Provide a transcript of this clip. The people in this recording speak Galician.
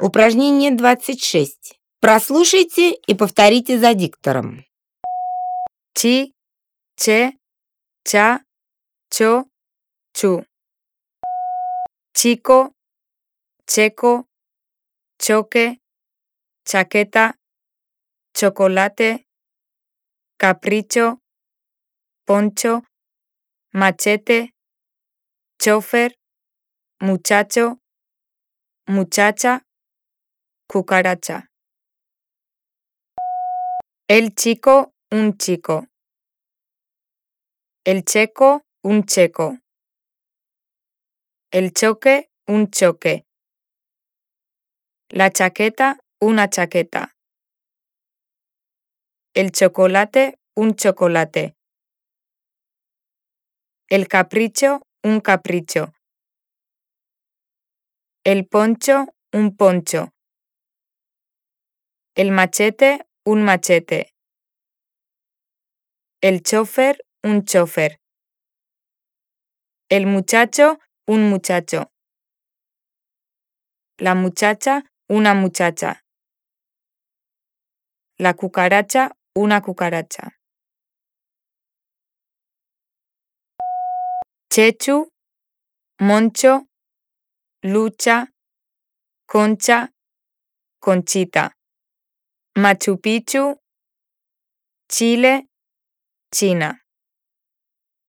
Упражнение 26. Прослушайте и повторите за диктором. Чи, че, ча, чо, чу. Chico, checo, choque, chaqueta, chocolate, capricho, poncho, machete, chofer, muchacho, muchacha, cucaracha. El chico, un chico. El checo, un checo. El choque, un choque. La chaqueta, una chaqueta. El chocolate, un chocolate. El capricho, un capricho. El poncho, un poncho. El machete, un machete. El chofer, un chofer. El muchacho, un muchacho. La muchacha, una muchacha. La cucaracha, una cucaracha. Chechu, Moncho, Lucha, Concha, Conchita. Machu Picchu, Chile, China.